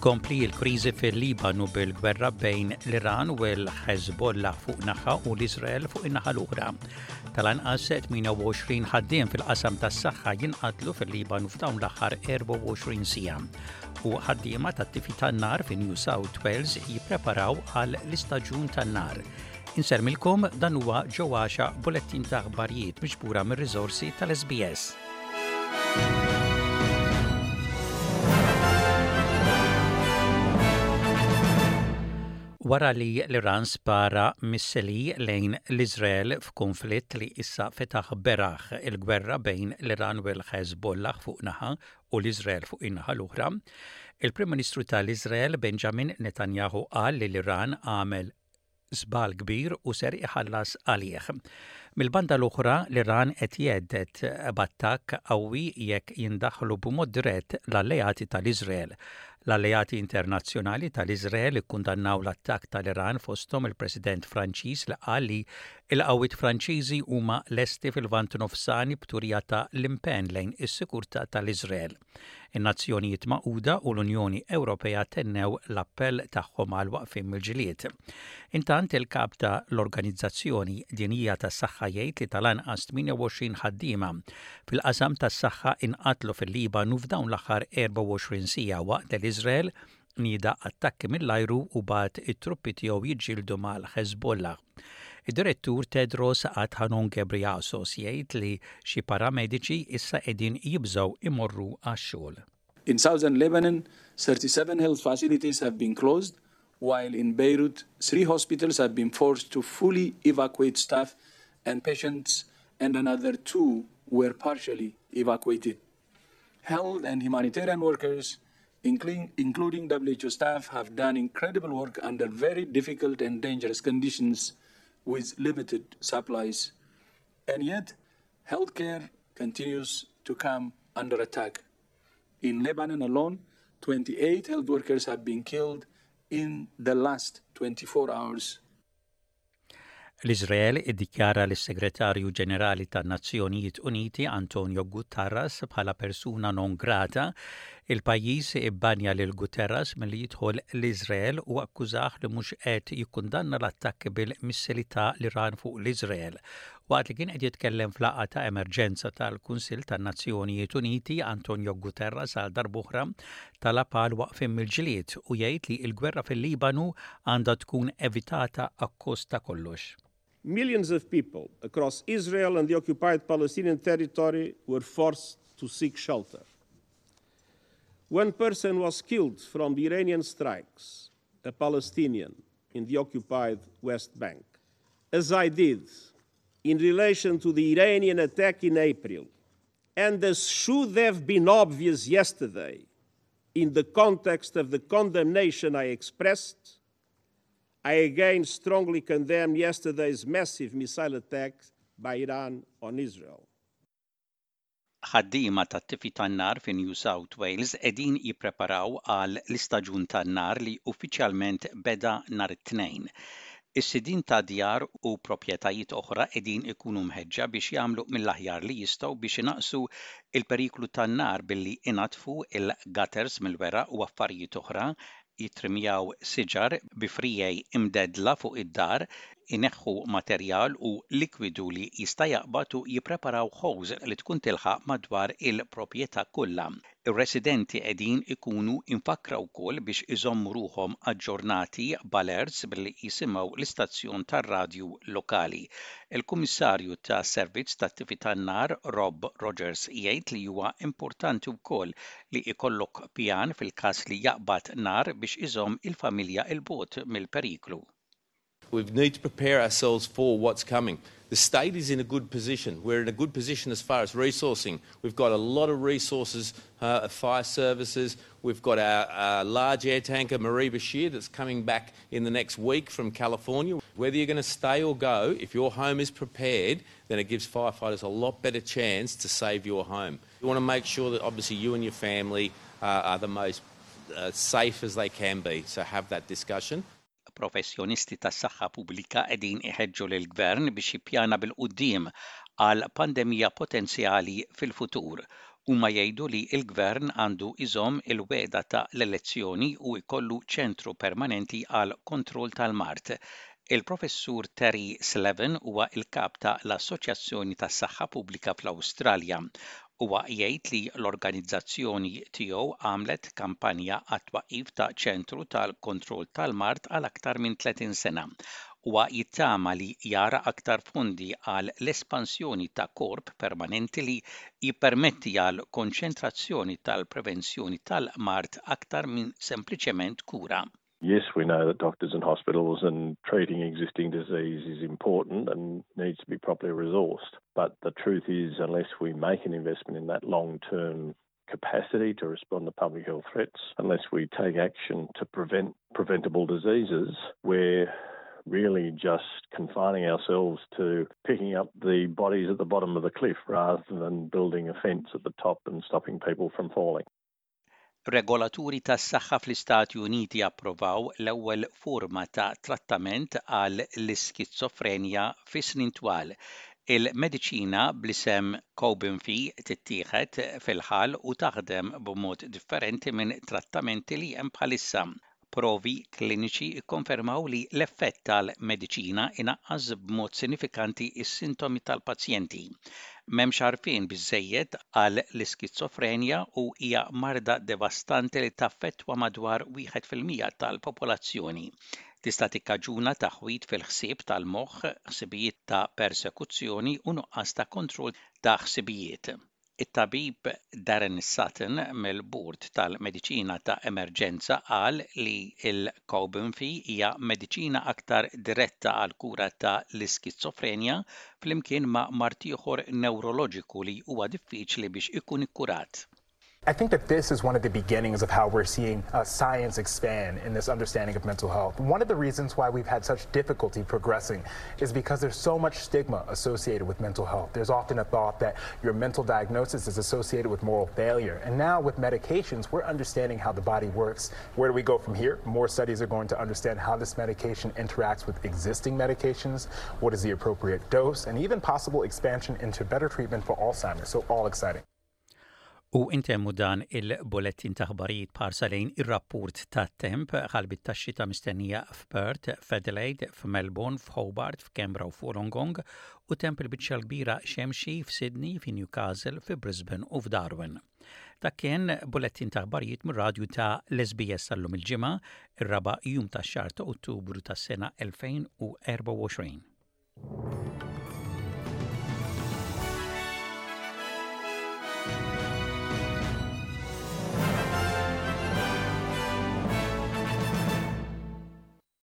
Tkompli l-kriżi fil-Libanu bil-gwerra bejn l-Iran u l-Ħeżbollah fuq naħa u l-Iżrael fuq in-naħa l-oħra. Tal-anqas 28 ħaddiem fil-qasam tas-saħħa jinqatlu fil-Libanu f'dawn l-aħħar 24 siegħa. U ħaddiema tat-tifi tan-nar fi New South Wales jippreparaw għal l-istaġun tan-nar. Insermilkom dan huwa ġewwaxa bulettin ta' aħbarijiet miġbura mir-riżorsi tal-SBS. Wara li l-Iran spara missili lejn l-Iżrael f'kunflitt li issa fetaħ beraħ il-gwerra bejn l-Iran u l-Ħeżbollah fuq naħa u l-Iżrael fuq in-naħa l-oħra, il-Prim Ministru tal-Iżrael Benjamin Netanyahu qal li l-Iran għamel żball kbir u ser iħallas għalih. Mill-banda l-oħra, l-Iran qed jhedded b'attakk qawwi jekk jindaħlu b'mod dirett l-alleati tal-Iżrael. L-alleati internazzjonali tal-Iżrael ikkundannaw l-attakk tal-Iran fosthom il-President Franċiż li qal li l-qawwiet Franċiżi huma lesti fil-Lvant Nofsani b'turija ta' l-impenn lejn is-sikurtà tal-Iżrael. In-Nazzjonijiet Magħquda u l-Unjoni Ewropea tennew l-appell tagħhom għal waqfien mill-ġlied. Intant il-kap ta' l-Organizzazzjoni Dinjija tas-Saħħa jgħid li tal-anqas 28 ħaddiema fil-qasam tas-saħħa inqatlu fil-Libanu f'dawn l-aħħar 24 siegħa waqt li l-Iżrael nieda attakki mill-ajru u bagħat it-truppi tiegħu jiġġieldu mal-Ħeżbollah. Id-Direttur Tedros Adhanom Ghebreyesus jgħid li xi paramediċi issa qegħdin jibżgħu imorru għax-xogħol. In southern Lebanon, 37 health facilities have been closed, while in Beirut, three hospitals have been forced to fully evacuate staff and patients and another two were partially evacuated. Health and humanitarian workers, including WHO staff, have done incredible work under very difficult and dangerous conditions with limited supplies. And yet, healthcare continues to come under attack. In Lebanon alone, 28 health workers have been killed in the last 24 hours. L-Iżrael iddikjara lis-Segretarju Ġenerali tan-Nazzjonijiet Uniti Antonio Guterres bħala persuna non grata. Il-pajjiż ibbanja lil Guterres milli jidħol l-Iżrael u akkużah li mhux qed jikkundanna l-attakki bil-missili ta' l-Iran fuq l-Iżrael. Waqt li kien qed jitkellem f'laqgħa ta' emerġenza tal-Kunsill tan-Nazzjonijiet Uniti, Antonio Guterres għal darb'oħra talab għal waqfien mill-ġlied u jgħid li l-gwerra fil-Libanu għandha tkun evitata akkost ta' kollox. Millions of people across Israel and the occupied Palestinian territory were forced to seek shelter. One person was killed from the Iranian strikes, a Palestinian in the occupied West Bank. As I did in relation to the Iranian attack in April, and as should have been obvious yesterday, in the context of the condemnation I expressed, I again strongly condemn yesterday's massive missile attack by Iran on Israel. Ħaddiema tat-tifi tan-nar fi New South Wales qegħdin jippreparaw għal l-istaġun tan-nar li uffiċjalment beda nhar it-Tnejn. Is-sidien ta' djar u proprjetajiet oħra qegħdin ikunu mħeġġa biex jagħmlu mill-aħjar li jistgħu biex inaqqsu l-periklu tan-nar billi inaddfu l-gutters mill-weraq u affarijiet oħra, jittrimjaw siġar bi friegħi imdeddla fuq id-dar, ineħħu materjal u likwidu li jista' jaqbad u jippreparaw hose li tkun tilħaq madwar il-proprjetà kollha. Ir-residenti qegħdin ikunu imfakkra wkoll biex iżommu ruħhom aġġornati b'alerts billi jisimgħu l-istazzjon tar-radju lokali. Il-Kummissarju tas-Servizz tat-Tifi tan-Nar Rob Rogers jgħid li huwa importanti wkoll li jkollok pjan fil-każ li jaqbad nar biex iżomm il-familja 'l bogħod mill-periklu. We need to prepare ourselves for what's coming. The state is in a good position. We're in a good position as far as resourcing. We've got a lot of resources, uh, fire services. We've got our, our large air tanker, Marie Bashir, that's coming back in the next week from California. Whether you're going to stay or go, if your home is prepared, then it gives firefighters a lot better chance to save your home. You want to make sure that obviously you and your family uh, are the most uh, safe as they can be. So have that discussion. Professjonisti tas-saħħa pubblika qegħdin iħeġġu lill-Gvern biex jippjana bil-quddiem għal pandemija potenzjali fil-futur. Huma jgħidu li l-Gvern għandu jżomm il-wegħda ta' l-elezzjoni u jkollu ċentru permanenti għall-kontroll tal-mard. Il-Professur Terry Slevin huwa l-kap ta' l-Assoċjazzjoni tas-Saħħa Pubblika fl-Awstralja. Huwa jgħid li l-organizzazzjoni tiegħu għamlet kampanja għat-twaqqif ta' ċentru tal-kontroll tal-mard għal aktar minn 30 sena. Huwa jittama li jara aktar fondi għal l-espansjoni ta' korp permanenti li jippermetti għal konċentrazzjoni tal-prevenzjoni tal-mard aktar minn sempliċement kura. Yes, we know that doctors and hospitals and treating existing disease is important and needs to be properly resourced. But the truth is, unless we make an investment in that long term capacity to respond to public health threats, unless we take action to prevent preventable diseases, we're really just confining ourselves to picking up the bodies at the bottom of the cliff rather than building a fence at the top and stopping people from falling. Regolaturi tas-saħħa fl-Istati Uniti approvaw l-ewwel forma ta' trattament għal l-iskizofrenja fi snin twal. Il-mediċina bl-isem Cobenfy tittieħed fil-ħalq u taħdem b'mod differenti minn trattamenti li hemm bħalissa. Provi kliniċi kkonfermaw li l-effett tal-mediċina inaqqas b'mod sinifikanti s-sintomi tal-pazjenti. M'hemmx għarfien biżżejjed għal l-iskizofrenja u hija marda devastanti li taffettwa madwar 1% tal-popolazzjoni. Tista' tikkaġuna taħwid fil-ħsieb tal-moħħ, ħsibijiet ta' persekuzzjoni u nuqqas ta' kontroll ta' ħsibijiet. It-tabib Darren Sutton mill-Bord tal-Mediċina ta' Emerġenza qal li l-Cobenfy hija mediċina aktar diretta għall-kura ta' l-iskizofrenja flimkien ma' mard ieħor newroloġiku li huwa diffiċli biex ikun ikkurat. I think that this is one of the beginnings of how we're seeing uh, science expand in this understanding of mental health. One of the reasons why we've had such difficulty progressing is because there's so much stigma associated with mental health. There's often a thought that your mental diagnosis is associated with moral failure. And now with medications, we're understanding how the body works. Where do we go from here? More studies are going to understand how this medication interacts with existing medications, what is the appropriate dose, and even possible expansion into better treatment for Alzheimer's. So all exciting. U intemmu dan il-bulettin ta' aħbarijiet b'ħarsa lejn ir-rapport tat-temp, ħalbiet tax-xita mistennija f'Perth, f'Adelaide, f'Melbourne, f'Hobart, f'Canberra u f'Wollongong, u temp il-biċċa l-kbira xemxi f'Sydney, fi Newcastle, fi Brisbane u f'Darwin. Dak kien bulettin ta' aħbarijiet mir-radju ta' l-SBS tal-lum il-Ġimgħa, ir-raba' jum tax-xahar ta' Ottubru tas-sena 2024.